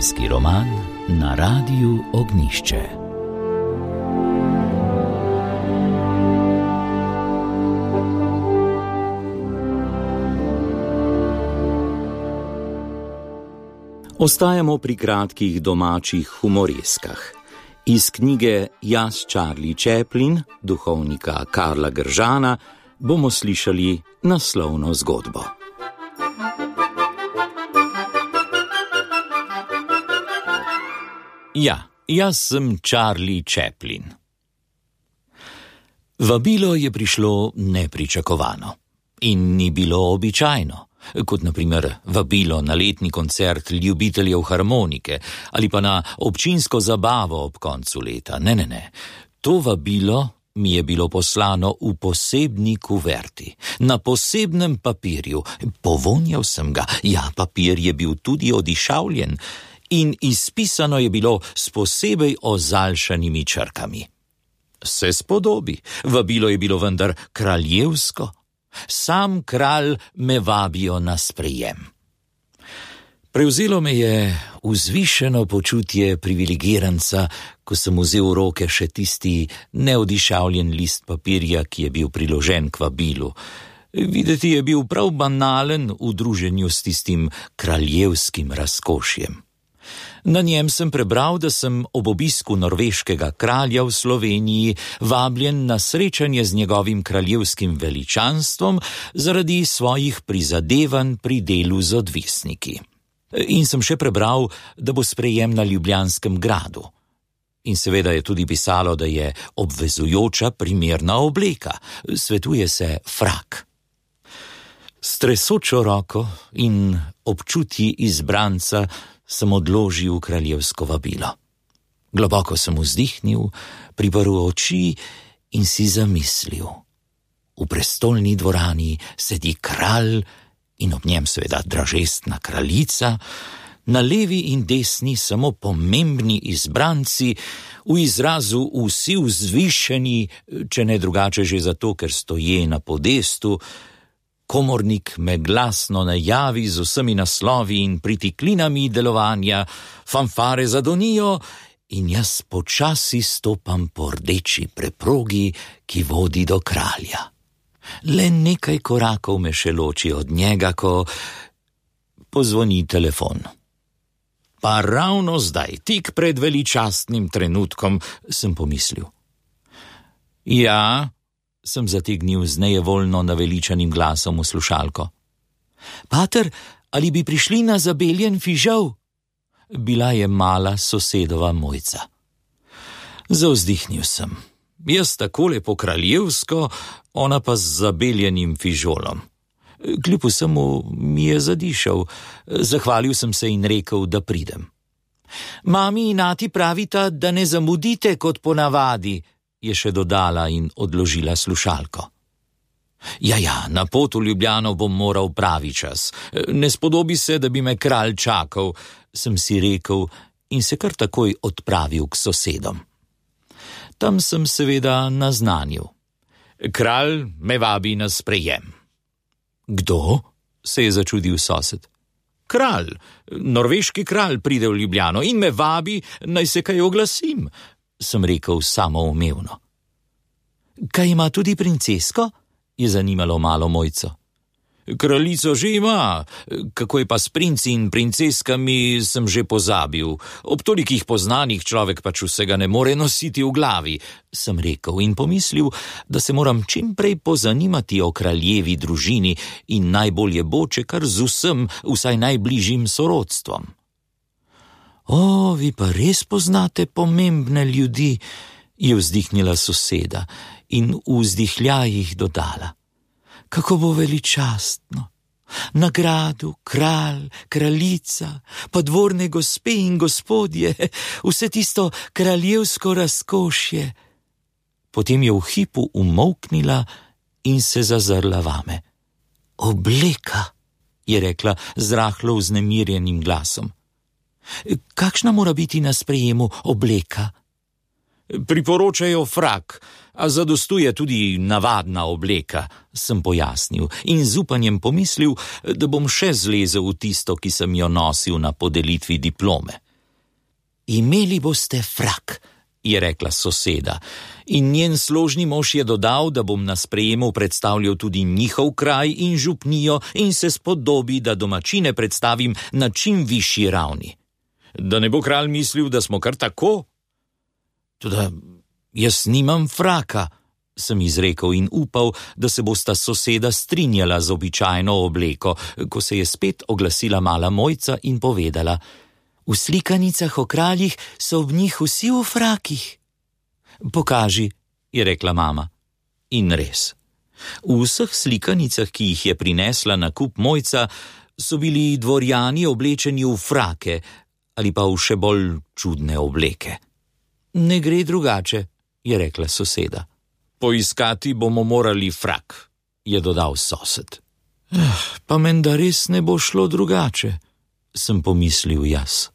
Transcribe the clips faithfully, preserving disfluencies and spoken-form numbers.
Zgodovinski roman na Radiu Ognjišče. Ostajamo pri kratkih domačih humoreskah. Iz knjige Jaz, Charlie Chaplin, duhovnika Karla Gržana, bomo slišali naslovno zgodbo. Ja, jaz sem Charlie Chaplin. Vabilo je prišlo nepričakovano in ni bilo običajno, kot na primer vabilo na letni koncert ljubiteljev harmonike ali pa na občinsko zabavo ob koncu leta. Ne, ne, ne. To vabilo mi je bilo poslano v posebni kuverti, na posebnem papirju. Povonjal sem ga, ja, papir je bil tudi odišavljen in izpisano je bilo s posebej ozaljšanimi črkami. Se spodobi, vabilo je bilo vendar kraljevsko. Sam kralj me vabijo na sprejem. Prevzelo me je vzvišeno počutje privilegiranca, ko sem vzel v roke še tisti neodišavljen list papirja, ki je bil priložen k vabilu. Videti je bil prav banalen v druženju s tistim kraljevskim razkošjem. Na njem sem prebral, da sem ob obisku norveškega kralja v Sloveniji vabljen na srečanje z njegovim kraljevskim veličanstvom zaradi svojih prizadevanj pri delu z odvisniki. In sem še prebral, da bo sprejem na Ljubljanskem gradu. In seveda je tudi pisalo, da je obvezujoča primerna obleka, svetuje se frak. S tresočo roko in občutji izbranca sem odložil kraljevsko vabilo. Globoko sem vzdihnil, priprl oči in si zamislil. V prestolni dvorani sedi kralj in ob njem seveda dražestna kraljica, na levi in desni samo pomembni izbranci, v izrazu vsi vzvišeni, če ne drugače že zato, ker stoje na podestu. Komornik me glasno najavi z vsemi naslovi in pritiklinami delovanja, fanfare zadonijo in jaz počasi stopam po rdeči preprogi, ki vodi do kralja. Le nekaj korakov me še loči od njega, ko pozvoni telefon. Pa ravno zdaj, tik pred veličastnim trenutkom, sem pomislil. Ja, sem zategnil z nejevoljno naveličanim glasom v slušalko. Pater, ali bi prišli na zabeljen fižol? Bila je mala sosedova Mojca. Zavzdihnil sem. Jaz takole po kraljevsko, ona pa z zabeljenim fižolom. Kljub vsemu mi je zadišal. Zahvalil sem se in rekel, da pridem. Mami in ati pravita, da ne zamudite kot ponavadi, je še dodala in odložila slušalko. Ja, ja, na pot v Ljubljano bom moral pravi čas. Ne spodobi se, da bi me kralj čakal, sem si rekel in se kar takoj odpravil k sosedom. Tam sem seveda naznanil. Kralj me vabi na sprejem. Kdo? Se je začudil sosed. Kralj, norveški kralj pride v Ljubljano in me vabi, naj se kaj oglasim, sem rekel samoumevno. Kaj ima tudi princesko? Je zanimalo malo Mojco. Kraljico že ima, kako je pa s princi in princeskami, sem že pozabil. Ob tolikih poznanih človek pač vsega ne more nositi v glavi, sem rekel in pomislil, da se moram čim prej pozanimati o kraljevi družini in najbolje bo, če kar z vsem, vsaj najbližjim sorodstvom. O, vi pa res poznate pomembne ljudi, je vzdihnila soseda in v vzdihljajih dodala. Kako bo veličastno. Na gradu kralj, kraljica, pa dvorne gospe in gospodje, vse tisto kraljevsko razkošje. Potem je v hipu umolknila in se zazrla vame. Obleka, je rekla z rahlo vznemirjenim glasom. Kakšna mora biti na sprejemu obleka? Priporočajo frak, a zadostuje tudi navadna obleka, sem pojasnil in z upanjem pomislil, da bom še zlezel v tisto, ki sem jo nosil na podelitvi diplome. Imeli boste frak, je rekla soseda, in njen složni mož je dodal, da bom na sprejemu predstavljal tudi njihov kraj in župnijo in se spodobi, da domačine predstavim na čim višji ravni. Da ne bo kralj mislil, da smo kar tako? Toda jaz nimam fraka, sem izrekel in upal, da se bosta soseda strinjala z običajno obleko, ko se je spet oglasila mala Mojca in povedala: V slikanicah o kraljih so ob njih vsi v frakih. Pokaži, je rekla mama. In res. V vseh slikanicah, ki jih je prinesla na kup Mojca, so bili dvorjani oblečeni v frake ali pa v še bolj čudne obleke. Ne gre drugače, je rekla soseda. Poiskati bomo morali frak, je dodal sosed. Eh, pa menda res ne bo šlo drugače, sem pomislil jaz.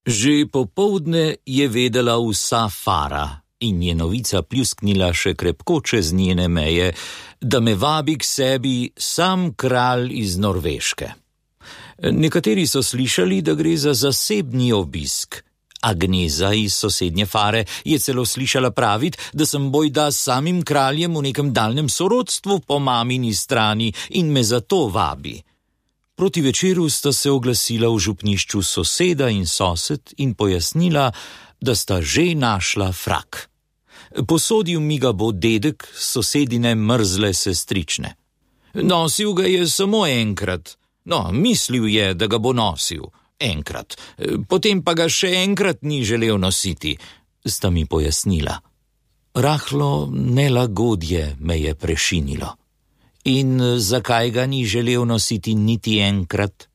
Že popoldne je vedela vsa fara in je novica pljusknila še krepko čez njene meje, da me vabi k sebi sam kralj iz Norveške. Nekateri so slišali, da gre za zasebni obisk. Agneza iz sosednje fare je celo slišala praviti, da sem bojda s samim kraljem v nekem daljnem sorodstvu po mamini strani in me zato vabi. Proti večeru sta se oglasila v župnišču soseda in sosed in pojasnila, da sta že našla frak. Posodil mi ga bo dedek sosedine mrzle sestrične. Nosil ga je samo enkrat. No, mislil je, da ga bo nosil. Enkrat. Potem pa ga še enkrat ni želel nositi, sta mi pojasnila. Rahlo nelagodje me je prešinilo. In zakaj ga ni želel nositi niti enkrat?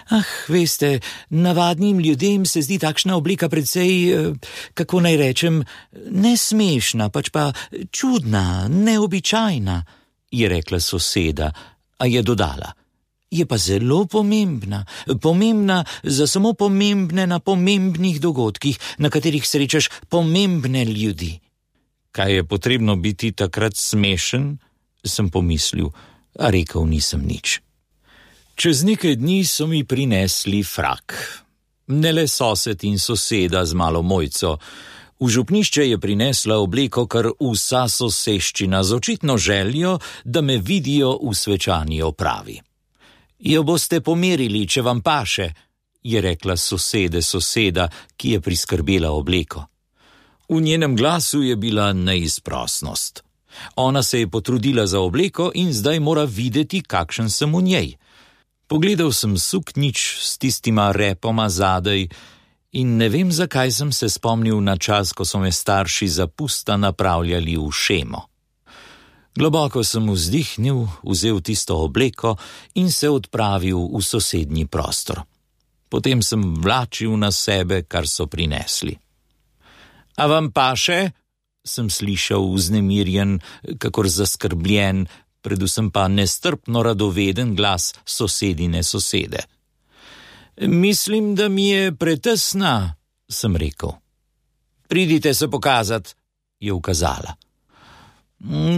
Ah, veste, navadnim ljudem se zdi takšna oblika precej, kako naj rečem, nesmešna, pač pa čudna, neobičajna, je rekla soseda, a je dodala. Je pa zelo pomembna, pomembna za samo pomembne na pomembnih dogodkih, na katerih srečaš pomembne ljudi. Kaj je potrebno biti takrat smešen, sem pomislil, a rekel nisem nič. Čez nekaj dni so mi prinesli frak. Ne le sosed in soseda z malo Mojco. V župnišče je prinesla obleko kar vsa soseščina z očitno željo, da me vidijo v svečani opravi. Jo boste pomerili, če vam paše, je rekla sosede soseda, ki je priskrbela obleko. V njenem glasu je bila neizprosnost. Ona se je potrudila za obleko in zdaj mora videti, kakšen sem v njej. Pogledal sem suknič s tistima repoma zadaj in ne vem, zakaj sem se spomnil na čas, ko so me starši za pusta napravljali v šemo. Globoko sem vzdihnil, vzel tisto obleko in se odpravil v sosednji prostor. Potem sem vlačil na sebe, kar so prinesli. A vam paše? Sem slišal vznemirjen, kakor zaskrbljen, predvsem pa nestrpno radoveden glas sosedine sosede. Mislim, da mi je pretesna, sem rekel. Pridite se pokazat, je ukazala.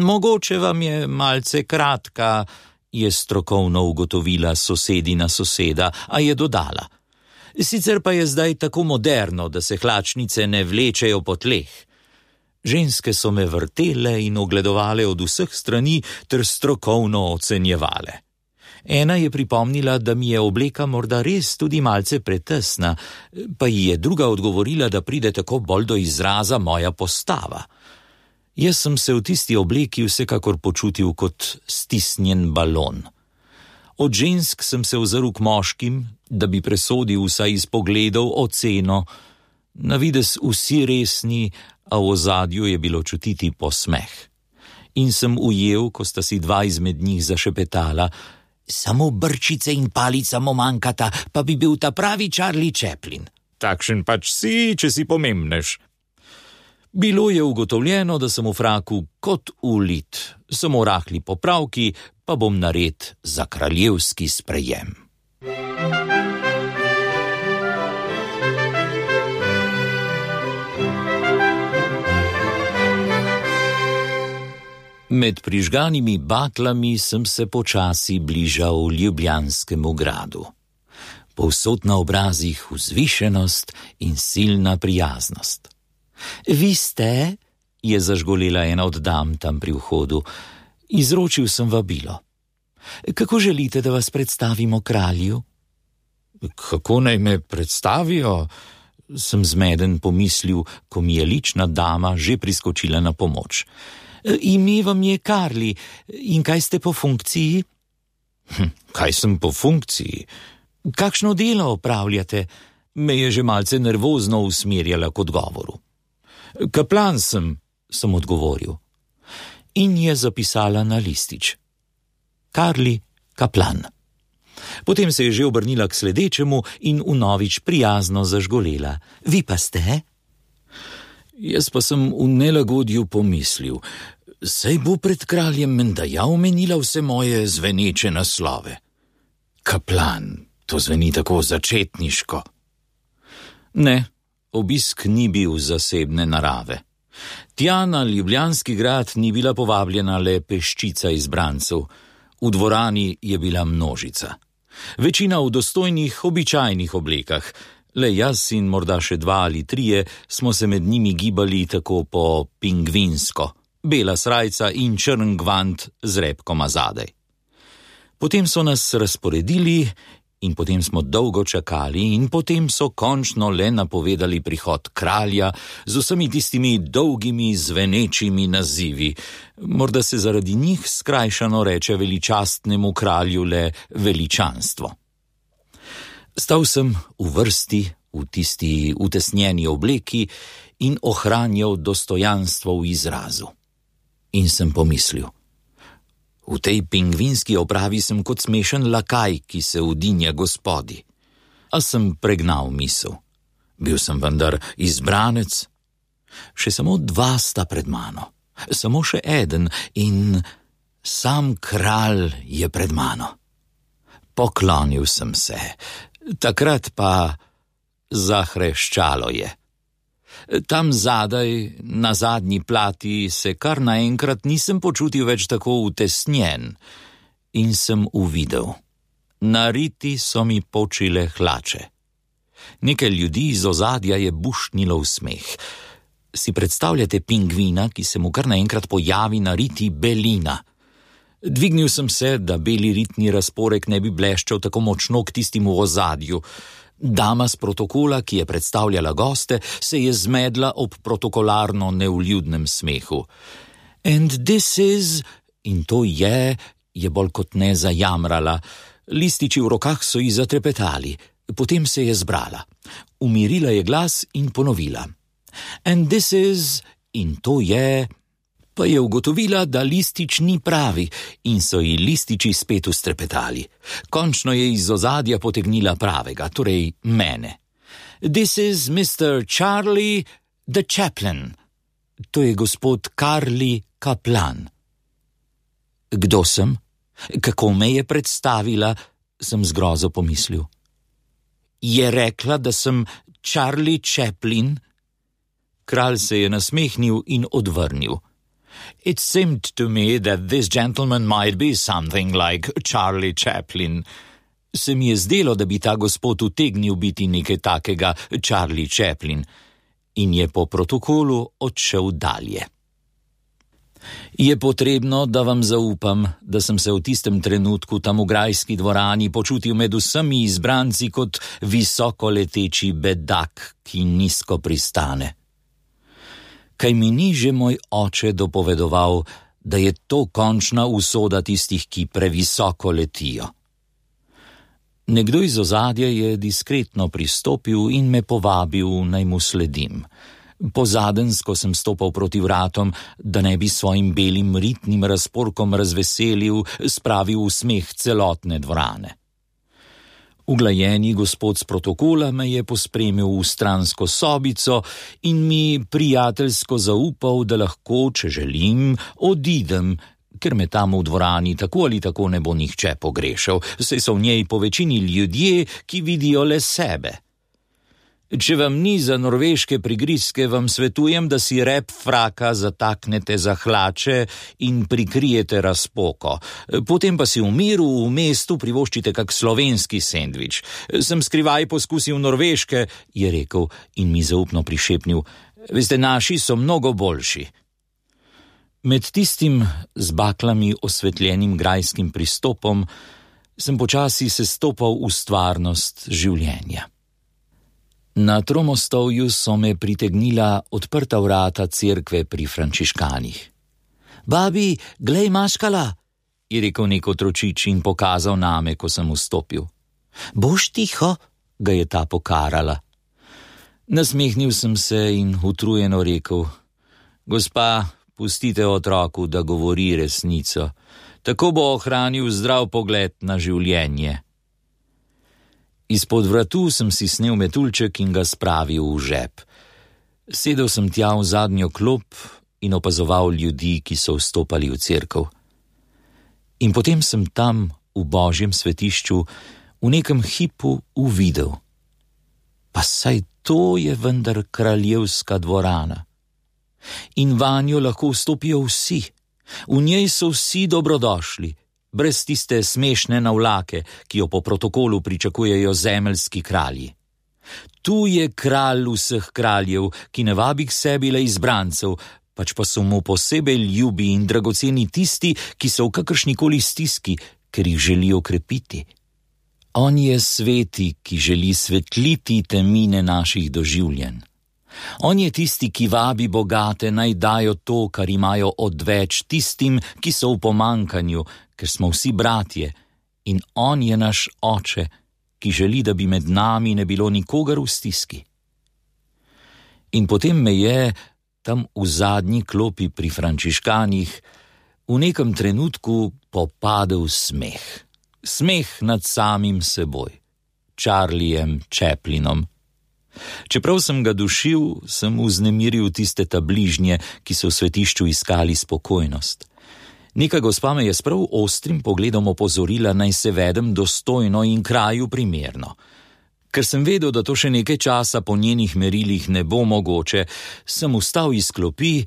Mogoče vam je malce kratka, je strokovno ugotovila sosedina soseda, a je dodala. Sicer pa je zdaj tako moderno, da se hlačnice ne vlečejo po tleh. Ženske so me vrtele in ogledovale od vseh strani ter strokovno ocenjevale. Ena je pripomnila, da mi je obleka morda res tudi malce pretesna, pa ji je druga odgovorila, da pride tako bolj do izraza moja postava. Jaz sem se v tisti obleki vsekakor počutil kot stisnjen balon. Od žensk sem se ozrl k moškim, da bi presodil vsaj iz pogledov oceno. Na videz vsi resni, a v ozadju je bilo čutiti posmeh. In sem ujel, ko sta si dva izmed njih zašepetala, samo brčice in palica mu manjkata, pa bi bil ta pravi Charlie Chaplin. Takšen pač si, če si pomembnež. Bilo je ugotovljeno, da sem v fraku kot ulit, samo rahli popravki, pa bom nared za kraljevski sprejem. Med prižganimi baklami sem se počasi bližal Ljubljanskemu gradu. povsod na obrazih vzvišenost in silna prijaznost. Vi ste, je zažgolela ena od dam tam pri vhodu, izročil sem vabilo. Kako želite, da vas predstavimo kralju? Kako naj me predstavijo? Sem zmeden pomislil, ko mi je lična dama že priskočila na pomoč. Ime vam je Karli, in kaj ste po funkciji? Hm, kaj sem po funkciji? Kakšno delo opravljate? Me je že malce nervozno usmerjala k odgovoru. Kaplan sem, sem odgovoril. In je zapisala na listič. Karli, kaplan. Potem se je že obrnila k sledečemu in vnovič prijazno zažgolela. Vi pa ste? Jaz pa sem v nelagodju pomislil, saj bo pred kraljem menda ja omenila vse moje zveneče naslove. Kaplan, to zveni tako začetniško. Ne, obisk ni bil zasebne narave. Tja na Ljubljanski grad ni bila povabljena le peščica izbrancev, v dvorani je bila množica. Večina v dostojnih, običajnih oblekah, le jaz in morda še dva ali trije smo se med njimi gibali tako po pingvinsko, bela srajca in črn gvant z repkoma zadaj. Potem so nas razporedili in potem smo dolgo čakali in potem so končno le napovedali prihod kralja z vsemi tistimi dolgimi zvenečimi nazivi. Morda se zaradi njih skrajšano reče veličastnemu kralju le veličanstvo. Stal sem v vrsti, v tisti utesnjeni obleki in ohranjal dostojanstvo v izrazu. In sem pomislil, v tej pingvinski opravi sem kot smešen lakaj, ki se udinja gospodi. A sem pregnal misel. Bil sem vendar izbranec. Še samo dva sta pred mano. Samo še eden in sam kralj je pred mano. Poklonil sem se. Takrat pa zahreščalo je. Tam zadaj, na zadnji plati, se kar naenkrat nisem počutil več tako utesnjen in sem uvidel. Na riti so mi počile hlače. Nekaj ljudi iz ozadja je bušnilo v smeh. Si predstavljate pingvina, ki se mu kar naenkrat pojavi na riti belina? Dvignil sem se, da beli ritni razporek ne bi bleščal tako močno k tistim v ozadju. Dama z protokola, ki je predstavljala goste, se je zmedla ob protokolarno nevljudnem smehu. And this is, in to je, je bolj kot ne zajamrala. Lističi v rokah so ji zatrepetali. Potem se je zbrala. Umirila je glas in ponovila. And this is, in to je, pa je ugotovila, da listič ni pravi in so ji lističi spet ustrepetali. Končno je iz ozadja potegnila pravega, torej mene. This is mister Charlie the Chaplain. To je gospod Karli Kaplan. Kdo sem? Kako me je predstavila, sem z grozo pomislil. Je rekla, da sem Charlie Chaplin? Kralj se je nasmehnil in odvrnil. It seemed to me that this gentleman might be something like Charlie Chaplin. Se mi je zdelo, da bi ta gospod utegnil biti nekaj takega Charlie Chaplin in je po protokolu odšel dalje. Je potrebno, da vam zaupam, da sem se v tistem trenutku tam v grajski dvorani počutil med vsemi izbranci kot visoko leteči bedak, ki nizko pristane. Kaj mi ni že moj oče dopovedoval, da je to končna usoda tistih, ki previsoko letijo. Nekdo iz ozadja je diskretno pristopil in me povabil, naj mu sledim. Pozadensko sem stopal proti vratom, da ne bi svojim belim ritnim razporkom razveselil, spravil v smeh celotne dvorane. Uglajeni gospod z protokola me je pospremil v stransko sobico in mi prijateljsko zaupal, da lahko, če želim, odidem, ker me tam v dvorani tako ali tako ne bo nihče pogrešal, saj so v njej po večini ljudje, ki vidijo le sebe. Če vam ni za norveške prigrizke, vam svetujem, da si rep fraka zataknete za hlače in prikrijete razpoko. Potem pa si v miru v mestu privoščite kak slovenski sendvič. Sem skrivaj poskusil norveške, je rekel in mi zaupno prišepnil. Veste, naši so mnogo boljši. Med tistim z baklami osvetljenim grajskim pristopom sem počasi sestopal v stvarnost življenja. Na Tromostovju so me pritegnila odprta vrata cerkve pri frančiškanih. Babi, glej maškala, je rekel nek otročič in pokazal name, ko sem vstopil. Boš tiho, ga je ta pokarala. Nasmehnil sem se in utrujeno rekel, gospa, pustite otroku, da govori resnico, tako bo ohranil zdrav pogled na življenje. Izpod vratu sem si snel metuljček in ga spravil v žep. Sedel sem tja v zadnjo klop in opazoval ljudi, ki so vstopali v cerkev. In potem sem tam, v Božjem svetišču, v nekem hipu uvidel. Pa saj to je vendar kraljevska dvorana. In vanjo lahko vstopijo vsi. V njej so vsi dobrodošli, brez tiste smešne navlake, ki jo po protokolu pričakujejo zemeljski kralji. Tu je kralj vseh kraljev, ki ne vabi k sebi le izbrancev, pač pa so mu posebej ljubi in dragoceni tisti, ki so v kakršnikoli stiski, ker jih želi okrepiti. On je sveti, ki želi svetliti temine naših doživljenj. On je tisti, ki vabi bogate, naj dajo to, kar imajo odveč tistim, ki so v pomankanju, ker smo vsi bratje, in on je naš oče, ki želi, da bi med nami ne bilo nikogar v stiski. In potem me je, tam v zadnji klopi pri frančiškanih, v nekem trenutku popadel smeh. Smeh nad samim seboj, Charliejem Chaplinom. Čeprav sem ga dušil, sem vznemiril tiste ta bližnje, ki so v svetišču iskali spokojnost. Neka gospa me je s prav ostrim pogledom opozorila, naj se vedem dostojno in kraju primerno. Ker sem vedel, da to še nekaj časa po njenih merilih ne bo mogoče, sem vstal iz klopi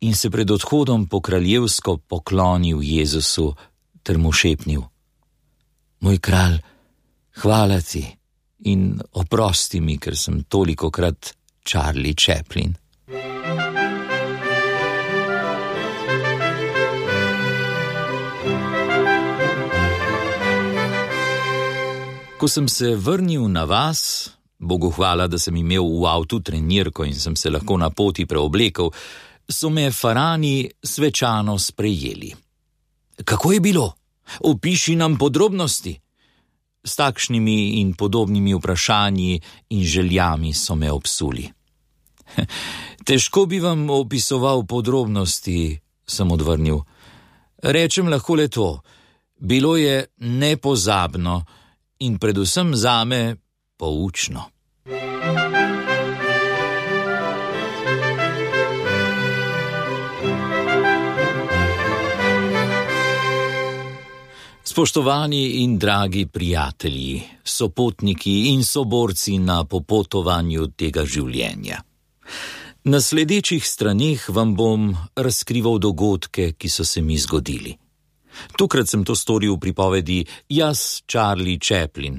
in se pred odhodom po kraljevsko poklonil Jezusu ter mu šepnil. Moj kralj, hvala ti. In oprosti mi, ker sem tolikokrat Charlie Chaplin. Ko sem se vrnil na vas, Bogu hvala, da sem imel v avtu trenirko in sem se lahko na poti preoblekel, so me farani svečano sprejeli. Kako je bilo? Opiši nam podrobnosti. S takšnimi in podobnimi vprašanji in željami so me obsuli. Težko bi vam opisoval podrobnosti, sem odvrnil. Rečem lahko le to, bilo je nepozabno in predvsem zame poučno. Spoštovani in dragi prijatelji, sopotniki in soborci na popotovanju tega življenja. Na sledečih straneh vam bom razkrival dogodke, ki so se mi zgodili. Tokrat sem to storil v pripovedi Jaz, Charlie Chaplin.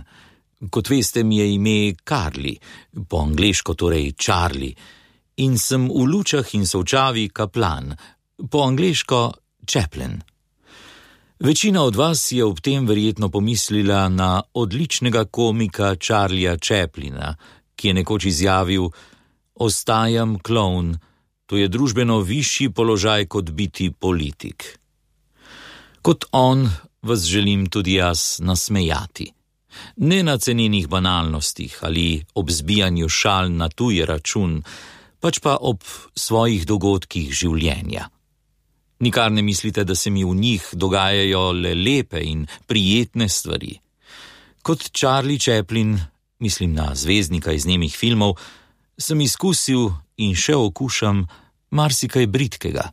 Kot veste, mi je ime Carly, po angleško torej Charlie, in sem v lučah in solčavi kaplan, po angleško Chaplin. Večina od vas je ob tem verjetno pomislila na odličnega komika Charlieja Chaplina, ki je nekoč izjavil: Ostajam klovn, to je družbeno višji položaj kot biti politik. Kot on vas želim tudi jaz nasmejati. Ne na cenenih banalnostih ali ob zbijanju šal na tuj račun, pač pa ob svojih dogodkih življenja. Nikar ne mislite, da se mi v njih dogajajo le lepe in prijetne stvari. Kot Charlie Chaplin, mislim na zvezdnika iz nemih filmov, sem izkusil in še okušam marsikaj bridkega.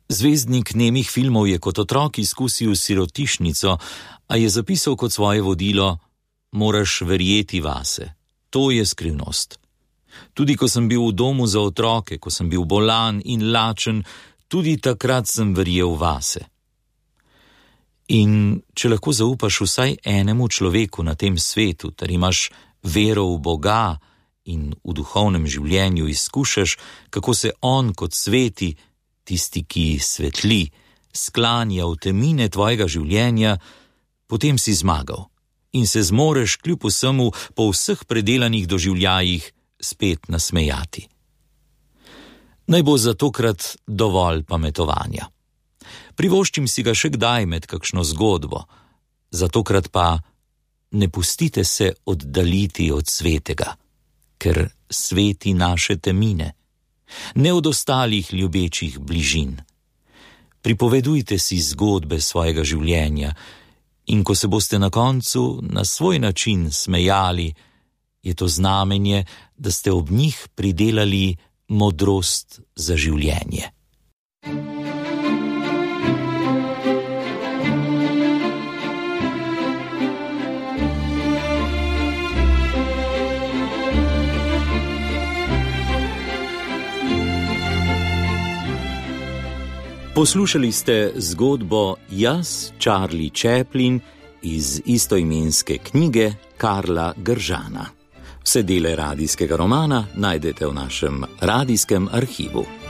Zvezdnik nemih filmov je kot otrok izkusil sirotišnico, a je zapisal kot svoje vodilo: moraš verjeti vase. to je skrivnost. Tudi ko sem bil v domu za otroke, ko sem bil bolan in lačen, tudi takrat sem verjel vase. In če lahko zaupaš vsaj enemu človeku na tem svetu, ter imaš vero v Boga in v duhovnem življenju izkušaš, kako se on kot sveti, tisti, ki svetli, sklanja v temine tvojega življenja, potem si zmagal in se zmoreš kljub vsemu po vseh predelanih doživljajih spet nasmejati. Naj bo za tokrat dovolj pametovanja. Privoščim si ga še kdaj med kakšno zgodbo, za tokrat pa ne pustite se oddaliti od svetega, ker sveti naše temine, ne od ostalih ljubečih bližin. Pripovedujte si zgodbe svojega življenja in ko se boste na koncu na svoj način smejali, je to znamenje, da ste ob njih pridelali modrost za življenje. Poslušali ste zgodbo Jaz, Charlie Chaplin iz istoimenske knjige Karla Gržana. Vse dele radijskega romana najdete v našem radijskem arhivu.